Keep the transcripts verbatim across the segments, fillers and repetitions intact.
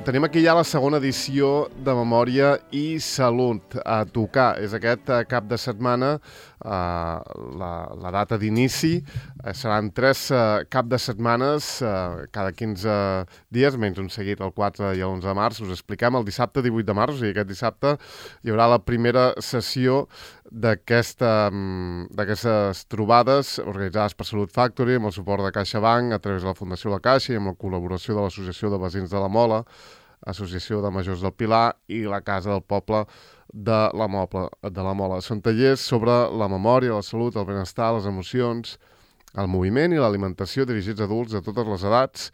tenim aquí ja la segona edició de Memòria i Salut a tocar. És aquest uh, cap de setmana, uh, la, la data d'inici. Uh, seran tres uh, cap de setmanes, uh, cada quinze dies, menys un seguit, el quatre i l'onze de març. Us expliquem, el dissabte divuit de març, o sigui, aquest dissabte hi haurà la primera sessió d'aquesta, d'aquestes trobades organitzades per Salut Factory amb el suport de CaixaBank a través de la Fundació La Caixa i amb la col·laboració de l'Associació de Veïns de la Mola, Associació de Majors del Pilar i la Casa del Poble de la, Moble, de la Mola. Són tallers sobre la memòria, la salut, el benestar, les emocions, el moviment i l'alimentació dirigits a adults de totes les edats,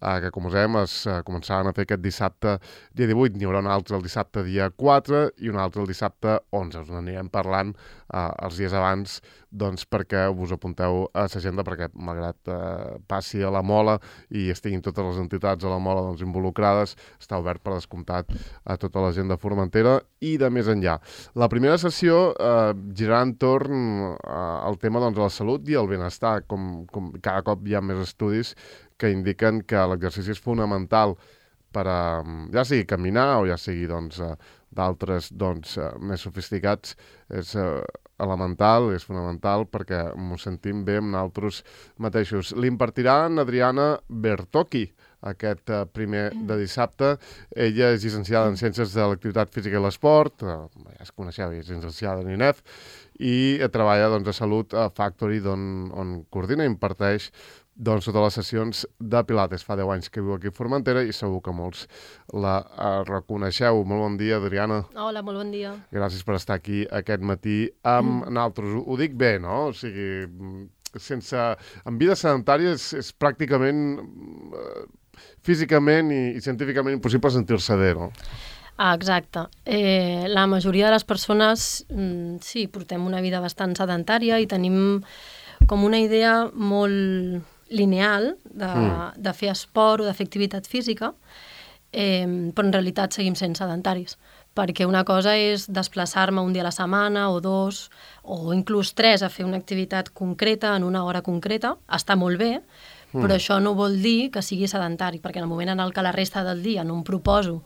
eh, que com us dèiem es eh, començaran a fer aquest dissabte dia divuit. N'hi haurà un altre el dissabte dia quatre i un altre el dissabte onze. Us n'anirem parlant eh, els dies abans, doncs, perquè us apunteu a l'agenda, perquè malgrat eh, passi a la Mola i estiguin totes les entitats a la Mola doncs, involucrades, està obert per descomptat a tota la gent de Formentera i de més enllà. La primera sessió eh, girarà entorn eh, al tema doncs, de la salut i el benestar, com, com cada cop hi ha més estudis que indiquen que l'exercici és fonamental per a, ja sigui caminar o ja sigui doncs, d'altres doncs, més sofisticats, és eh, elemental, és fonamental perquè m'ho sentim bé amb nosaltres mateixos. L'impartirà en Adriana Bertocchi, aquest eh, primer de dissabte. Ella és llicenciada en Ciències de l'Activitat Física i l'Esport, eh, ja es coneixeu, és llicenciada en I N E F, i treballa doncs, a Salut Factory, on, on coordina i imparteix doncs, totes les sessions de Pilates. Fa deu anys que viu aquí a Formentera i segur que molts la uh, reconeixeu. Molt bon dia, Adriana. Hola, molt bon dia. Gràcies per estar aquí aquest matí amb mm. nosaltres. Ho, ho dic bé, no? O sigui, sense... En vida sedentària és, és pràcticament uh, físicament i, i científicament impossible sentir-se bé, no? Ah, exacte. Eh, la majoria de les persones, mm, sí, portem una vida bastant sedentària i tenim com una idea molt lineal de, mm. de fer esport o de fer activitat física, eh, però en realitat seguim sent sedentaris, perquè una cosa és desplaçar-me un dia a la setmana o dos, o inclús tres a fer una activitat concreta en una hora concreta, està molt bé, mm. però això no vol dir que sigui sedentari, perquè en el moment en el que la resta del dia no em proposo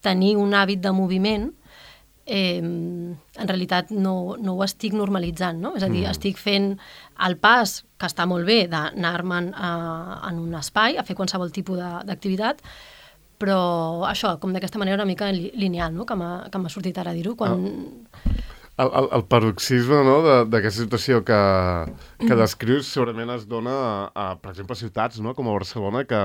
tenir un hàbit de moviment, eh, en realitat no, no ho estic normalitzant, no? És a dir, mm. estic fent el pas, que està molt bé, d'anar-me'n en un espai, a fer qualsevol tipus d'activitat, però això, com d'aquesta manera una mica lineal, no? Que m'ha sortit ara dir-ho, quan... Ah. El, el, el paroxisme, no?, d'aquesta situació que, que descrius segurament es dona a, a, per exemple, a ciutats, no?, com a Barcelona, que,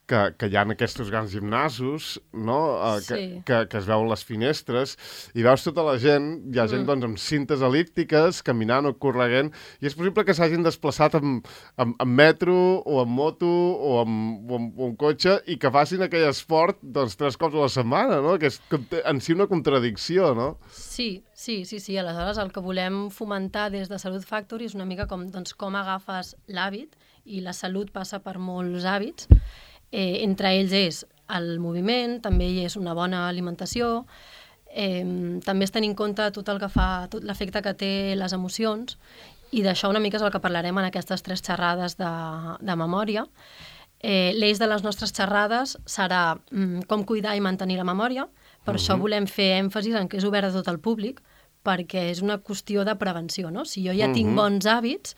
que, que hi ha aquests grans gimnasos, no?, eh, que, sí. que, que es veuen les finestres, i veus tota la gent, hi ha gent, mm. doncs, amb cintes elíptiques, caminant o correguent, i és possible que s'hagin desplaçat amb, amb, amb metro, o amb moto, o amb, o amb, o amb cotxe, i que facin aquell esport, doncs, tres cops a la setmana, no?, que és en si una contradicció, no? Sí, sí, sí, sí. Aleshores, el que volem fomentar des de Salut Factory és una mica com, doncs, com agafes l'hàbit, i la salut passa per molts hàbits. Eh, entre ells és el moviment, també hi és una bona alimentació, eh, també es tenir en compte tot el que fa, tot l'efecte que té les emocions, i d'això una mica és el que parlarem en aquestes tres xerrades de, de memòria. Eh, L'eix de les nostres xerrades serà mm, com cuidar i mantenir la memòria. Per uh-huh. això volem fer èmfasis en que és obert a tot el públic, perquè és una qüestió de prevenció, no? Si jo ja uh-huh. tinc bons hàbits,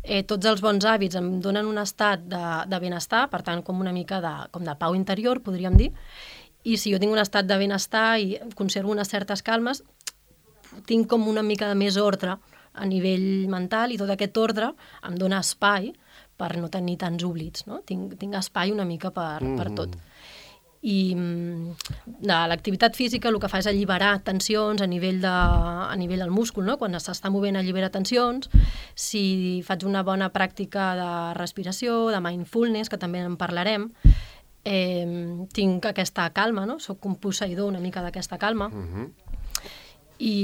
eh, tots els bons hàbits em donen un estat de, de benestar, per tant, com una mica de, com de pau interior, podríem dir, i si jo tinc un estat de benestar i conservo unes certes calmes, tinc com una mica de més ordre a nivell mental, i tot aquest ordre em dona espai per no tenir tants oblits, no? Tinc, tinc espai una mica per, uh-huh. per tot. I de l'activitat física el que fa és alliberar tensions a nivell, de, a nivell del múscul, no? Quan s'està movent allibera tensions. Si faig una bona pràctica de respiració, de mindfulness, que també en parlarem, eh, tinc aquesta calma, no? Soc un posseïdor una mica d'aquesta calma. Uh-huh. I,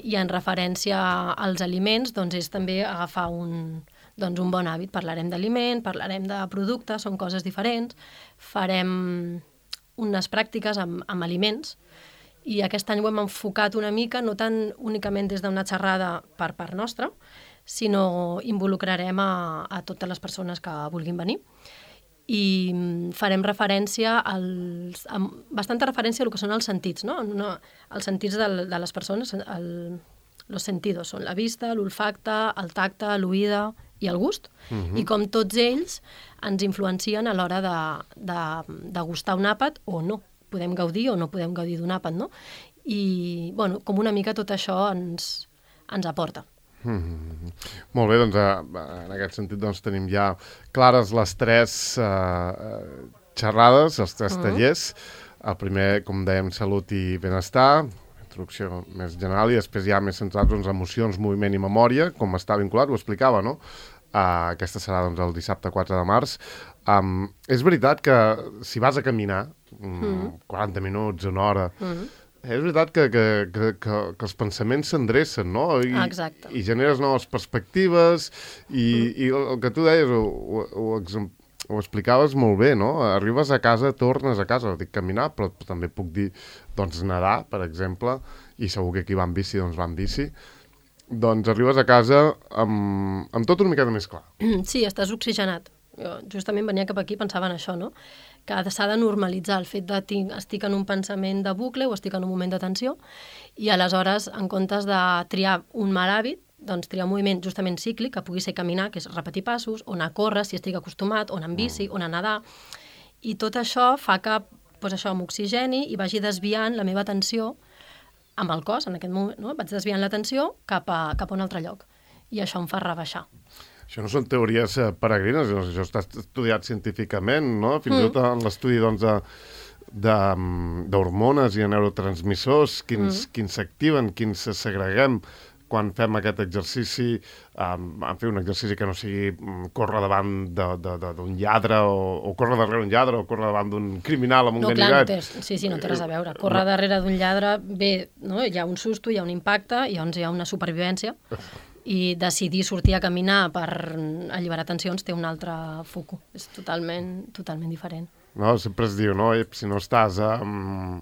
i en referència als aliments, doncs és també agafar un, doncs un bon hàbit. Parlarem d'aliment, parlarem de productes, són coses diferents, farem unes pràctiques amb, amb aliments, i aquest any ho hem enfocat una mica, no tant únicament des d'una xerrada per part nostra, sinó involucrarem a, a totes les persones que vulguin venir. i farem referència als, a, bastanta referència a el que són els sentits, no? no els sentits de, de les persones, el, los sentidos són la vista, l'olfacte, el tacte, l'oïda i el gust, uh-huh. i com tots ells ens influencien a l'hora de, de, de gustar un àpat o no. Podem gaudir o no podem gaudir d'un àpat, no? I, bueno, com una mica tot això ens, ens aporta. Mm-hmm. Molt bé, doncs en aquest sentit doncs, tenim ja clares les tres uh, xerrades, els tres uh-huh. tallers. El primer, com dèiem, salut i benestar, introducció més general, i després ja més centrats en doncs, emocions, moviment i memòria, com està vinculat, ho explicava, no? Uh, aquesta serà doncs, el dissabte quatre de març. Um, és veritat que si vas a caminar um, mm. quaranta minuts, una hora, mm. és veritat que, que, que, que, que els pensaments s'endrecen, no? I, Exacte. I generes noves perspectives i, mm. i el, el que tu deies ho, ho, ho, ho explicaves molt bé, no? Arribes a casa, tornes a casa, dic caminar, però també puc dir doncs nedar, per exemple, i segur que qui va en bici doncs va en bici. Doncs arribes a casa amb, amb tot una miqueta més clar. Sí, estàs oxigenat. Jo justament venia cap aquí i pensava en això, no? Que s'ha de normalitzar el fet de tinc, estic en un pensament de bucle o estic en un moment de tensió i aleshores, en comptes de triar un mal hàbit, doncs triar un moviment justament cíclic, que pugui ser caminar, que és repetir passos, o anar a córrer, si estic acostumat, o anar en bici, o anar a nedar. I tot això fa que doncs això m'oxigeni i vagi desviant la meva atenció amb el cos, en aquest moment, no? Vaig desviant l'atenció cap a, cap a un altre lloc. I això em fa rebaixar. Això no són teories eh, peregrines, això està estudiat científicament, no? Fins i mm. tot en l'estudi doncs, d'hormones i de neurotransmissors, quins, mm. quins s'activen, quins segreguem quan fem aquest exercici, um, en fer un exercici que no sigui um, córrer davant d'un lladre o, o córrer darrere d'un lladre o córrer davant d'un criminal amb un no, ganivet. Clar, no té, sí, sí, no té res a veure. Córrer no. darrere d'un lladre, bé, no? Hi ha un susto, hi ha un impacte, i llavors hi ha una supervivència, i decidir sortir a caminar per alliberar tensions té un altre foco. És totalment, totalment diferent. No, sempre es diu, no? Si no estàs um,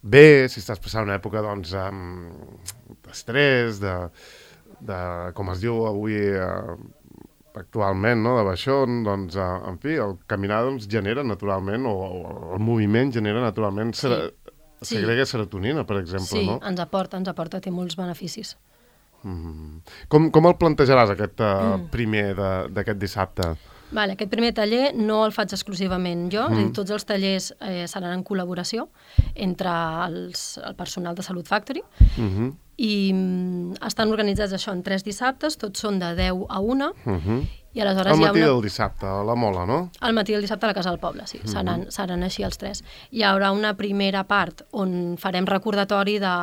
bé, si estàs passant una època, doncs, um, d'estrès, de, de, com es diu avui uh, actualment, no? De baixón, doncs, uh, en fi, el caminar doncs, genera naturalment, o, o el moviment genera naturalment, sí. Sera, segrega sí. serotonina, per exemple, sí, no? Sí, ens aporta, ens aporta, té molts beneficis. Mm. Com, com el plantejaràs, aquest uh, mm. primer d'aquest dissabte? Vale, aquest primer taller no el faig exclusivament jo, mm. és a dir, tots els tallers eh, seran en col·laboració entre els, el personal de Salut Factory mm-hmm. i mm, estan organitzats això en tres dissabtes, tots són de deu a una mm-hmm. i aleshores al hi ha matí una... del dissabte, a la Mola, no? Al matí del dissabte a la Casa del Poble, sí, mm-hmm. seran, seran així els tres. Hi haurà una primera part on farem recordatori de...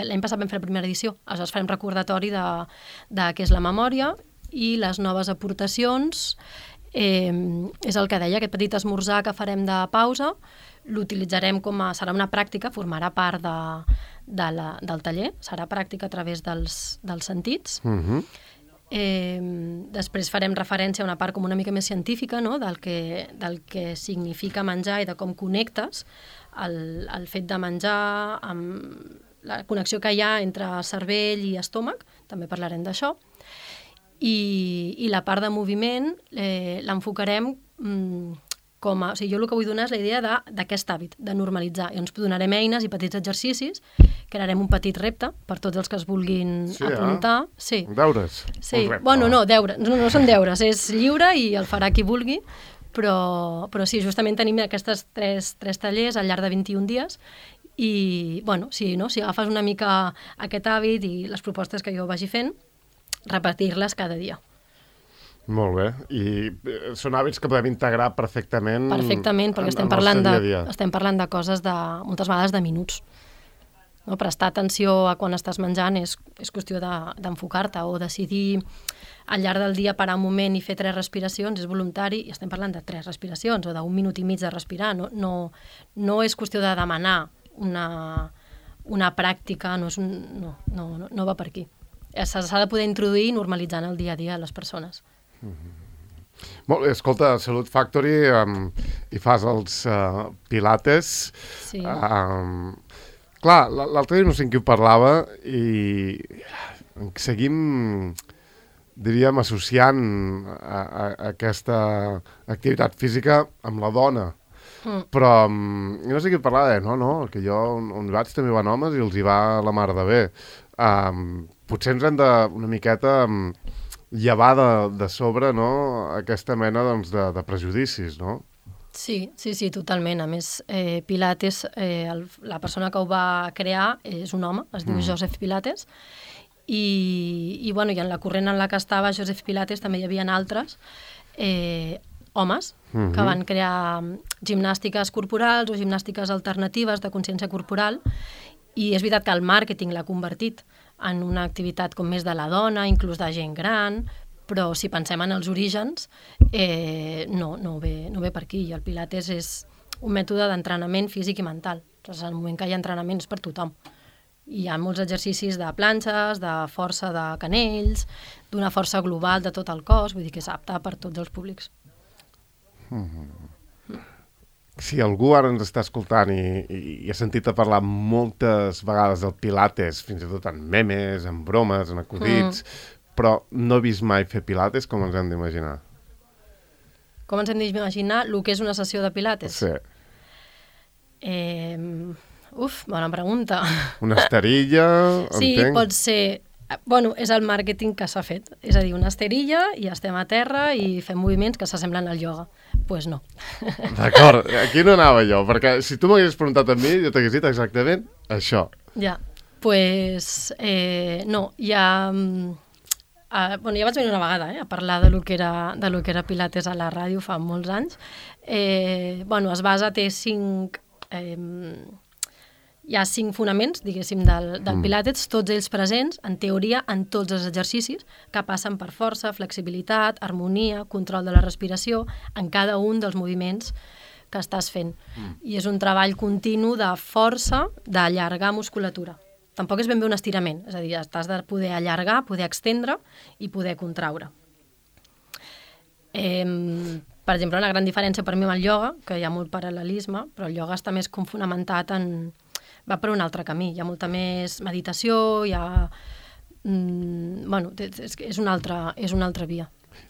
L'any passat vam fer la primera edició, aleshores farem recordatori de, de què és la memòria i les noves aportacions. Eh, és el que deia, aquest petit esmorzar que farem de pausa, l'utilitzarem com a... serà una pràctica, formarà part de, de la, del taller, serà pràctica a través dels, dels sentits. Mm-hmm. eh, després farem referència a una part com una mica més científica, no? del, que, del que significa menjar i de com connectes el, el fet de menjar, amb la connexió que hi ha entre cervell i estómac, també parlarem d'això. I, i la part de moviment eh, l'enfocarem mm, com a... O sigui, jo el que vull donar és la idea d'aquest hàbit, de normalitzar. I ens donarem eines i petits exercicis, crearem un petit repte per tots els que es vulguin sí, apuntar. Eh? Sí, deures. Sí. Bueno, no, deures. No, no són deures, és lliure i el farà qui vulgui, però, però sí, justament tenim aquests tres, tres tallers al llarg de vint-i-un dies i, bueno, sí, no? Si agafes una mica aquest hàbit i les propostes que jo vagi fent, repetir-les cada dia. Molt bé. I són hàbits que podem integrar perfectament... Perfectament, perquè estem parlant, de, estem parlant de coses de, moltes vegades de minuts. No? Prestar atenció a quan estàs menjant és, és qüestió d'enfocar-te o decidir al llarg del dia parar un moment i fer tres respiracions, és voluntari, i estem parlant de tres respiracions o d'un minut i mig de respirar. No, no, no és qüestió de demanar una, una pràctica, no, és un, no, no, no, no va per aquí. S'ha de poder introduir normalitzant el dia a dia a les persones. Mm-hmm. Molt bé, escolta, Salut Factory, um, i fas els uh, pilates. Sí. Um, clar, l'altre dia no sé en qui ho parlava i seguim diríem, associant a, a, a aquesta activitat física amb la dona. Mm. Però jo no sé què parlar, eh? no, no, que jo on, on vaig també van homes i els hi va la mar de bé. Um, potser ens hem de una miqueta um, llevar de, de sobre, no?, aquesta mena, doncs, de, de prejudicis, no? Sí, sí, sí, totalment. A més, eh, Pilates, eh, el, la persona que ho va crear és un home, es diu mm. Joseph Pilates, i, i, bueno, i en la corrent en la que estava Joseph Pilates també hi havia altres eh, homes mm-hmm. que van crear gimnàstiques corporals o gimnàstiques alternatives de consciència corporal, i és veritat que el màrqueting l'ha convertit en una activitat com més de la dona, inclús de gent gran, però si pensem en els orígens, eh, no, no, ve, no ve per aquí. I el Pilates és un mètode d'entrenament físic i mental. Doncs en el moment que hi ha entrenament és per tothom. Hi ha molts exercicis de planxes, de força de canells, d'una força global de tot el cos, vull dir que és apte per tots els públics. Mm-hmm. Si algú ara ens està escoltant i, i, i ha sentit a parlar moltes vegades del Pilates, fins i tot en memes, en bromes, en acudits, mm. però no he vist mai fer Pilates, com ens hem d'imaginar? Com ens hem d'imaginar el que és una sessió de Pilates? Sí. Eh, uf, bona pregunta. Una esterilla, sí, entenc? Sí, pot ser... Bueno, és el màrqueting que s'ha fet. És a dir, una esterilla i estem a terra i fem moviments que s'assemblen al ioga. Doncs pues no. D'acord, aquí no anava jo, perquè si tu m'haguessis preguntat a mi, jo t'hagués dit exactament això. Ja, doncs pues, eh, no, ja... Uh, bueno, ja vaig venir una vegada eh, a parlar de lo que era, de lo que era Pilates a la ràdio fa molts anys. Eh, bueno, es basa, té cinc... Eh, hi ha cinc fonaments, diguéssim, del, del Pilates, tots ells presents, en teoria, en tots els exercicis, que passen per força, flexibilitat, harmonia, control de la respiració, en cada un dels moviments que estàs fent. Mm. I és un treball continu de força, d'allargar musculatura. Tampoc és ben bé un estirament, és a dir, estàs de poder allargar, poder extendre i poder contraure. Eh, per exemple, una gran diferència per mi amb el ioga, que hi ha molt paral·lelisme, però el ioga està més com fonamentat en... va per un altre camí, hi ha molta més meditació, hi ha... Mm, bueno, és, és, una altra, és una altra via.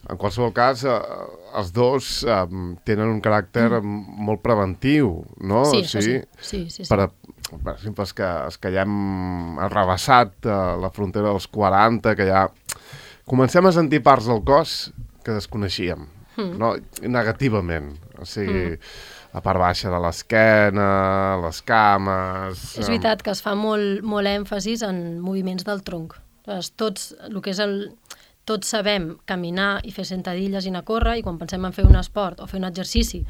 En qualsevol cas, eh, els dos eh, tenen un caràcter mm. molt preventiu, no? Sí, sí, sí, sí, sí, sí. Per, per exemple, els que, els que ja hem arrabassat eh, la frontera dels quaranta, que ja comencem a sentir parts del cos que desconeixíem, mm. no? Negativament, o sigui... Mm. la part baixa de l'esquena, les cames... És veritat que es fa molt, molt èmfasis en moviments del tronc. Tots, el que és el, tots sabem caminar i fer sentadilles i anar a córrer, i quan pensem en fer un esport o fer un exercici,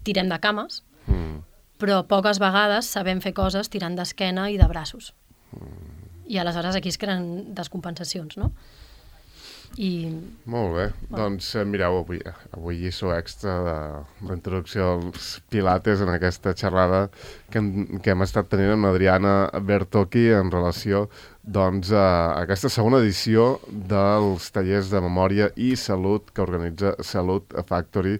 tirem de cames, mm. però poques vegades sabem fer coses tirant d'esquena i de braços. Mm. I aleshores aquí es creen descompensacions, no? I... Molt bé, bueno. Doncs mireu, avui, avui lliçó extra de la introducció als Pilates en aquesta xerrada que hem, que hem estat tenint amb Adriana Bertocchi en relació doncs, a aquesta segona edició dels tallers de memòria i salut que organitza Salut Factory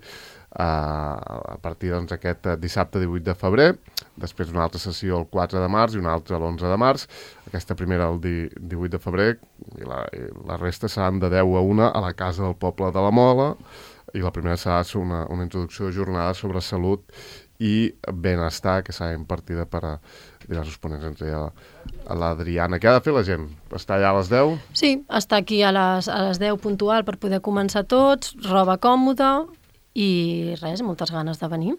a partir doncs, aquest dissabte divuit de febrer, després una altra sessió el quatre de març i una altra l'onze de març, aquesta primera el divuit de febrer i la, i la resta seran de deu a una a la Casa del Poble de la Mola, i la primera serà una, una introducció de jornada sobre salut i benestar que serà impartida per a diversos ponents, entre a l'Adriana. Què ha de fer la gent? Està allà a les deu? Sí, està aquí a les, a les deu puntual per poder començar tots, roba còmoda, i res, moltes ganes de venir.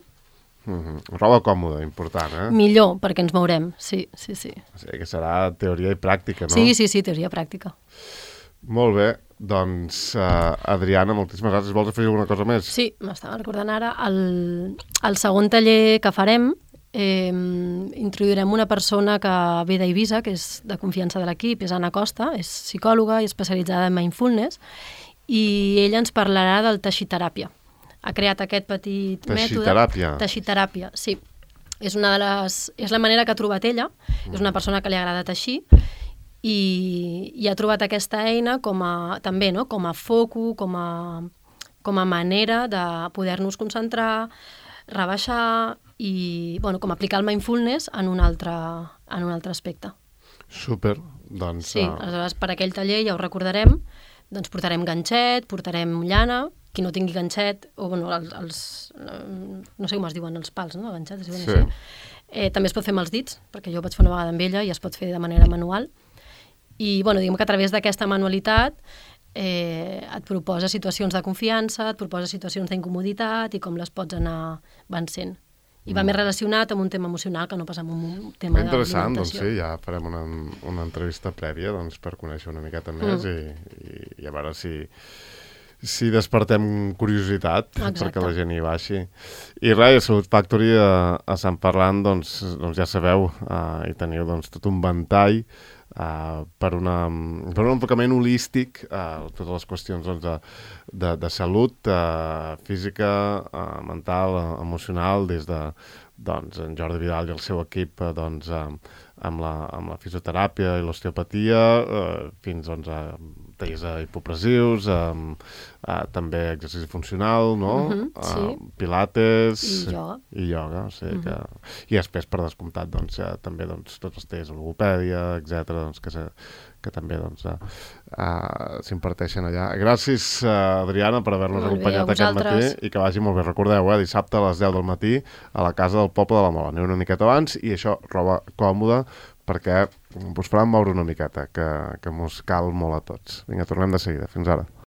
Mm-hmm. Roba còmoda, important, eh? Millor, perquè ens mourem, sí, sí, sí. O sigui que serà teoria i pràctica, no? Sí, sí, sí, teoria i pràctica. Molt bé, doncs, uh, Adriana, moltíssimes gràcies. Vols afegir alguna cosa més? Sí, m'estava recordant ara, el, el segon taller que farem, eh, introduirem una persona que ve d'Eivissa, que és de confiança de l'equip, és Anna Costa, és psicòloga i especialitzada en mindfulness, i ella ens parlarà del teixiteràpia. Ha creat aquest petit teixiteràpia. mètode. Teixiteràpia, sí. És, una de les, és la manera que ha trobat ella, mm. és una persona que li agrada teixir, i, i ha trobat aquesta eina com a, també, no? com a foco, com a, com a manera de poder-nos concentrar, rebaixar i bueno, com aplicar el mindfulness en un altre, en un altre aspecte. Super, doncs... Sí, aleshores per aquell taller ja ho recordarem, doncs portarem ganxet, portarem llana, qui no tingui ganxet, o bueno, els, els no sé com es diuen, els pals, no? Ganxet, es diuen sí. així. Eh, també es pot fer amb els dits, perquè jo ho vaig fer una vegada amb ella i es pot fer de manera manual. I bueno, diguem que a través d'aquesta manualitat eh, et proposa situacions de confiança, et proposa situacions d'incomoditat i com les pots anar vencent. I va mm. més relacionat amb un tema emocional que no pas amb un tema interessant, doncs d'alimentació. sí, ja farem una, una entrevista prèvia doncs, per conèixer una miqueta més mm. i, i, i a veure si, si despertem curiositat. Exacte. Perquè la gent hi baixi. I res, a Salut Factory, a, a Sant Parlant, doncs, doncs ja sabeu, uh, hi teniu doncs, tot un ventall Uh, per, una, per un enfocament holístic a uh, totes les qüestions doncs, de, de, de salut uh, física, uh, mental, uh, emocional, des de doncs, en Jordi Vidal i el seu equip uh, doncs, uh, amb, la, amb la fisioteràpia i l'osteopatia, uh, fins doncs, a tallers hipopressius, um, uh, també exercici funcional, no? Uh-huh, sí. uh, pilates i ioga. I ioga, o sigui uh-huh. que... I després, per descomptat, doncs, uh, també doncs, tots els tallers de logopèdia, etcètera, doncs, que, se, que també doncs, uh, uh, s'imparteixen allà. Gràcies, uh, Adriana, per haver-nos acompanyat aquest matí i que vagi molt bé. Recordeu, eh, dissabte a les deu del matí a la Casa del Poble de la Mola. Aneu una miqueta abans i això, roba còmoda, perquè us faran moure una miqueta, que, que mos cal molt a tots. Vinga, tornem de seguida. Fins ara.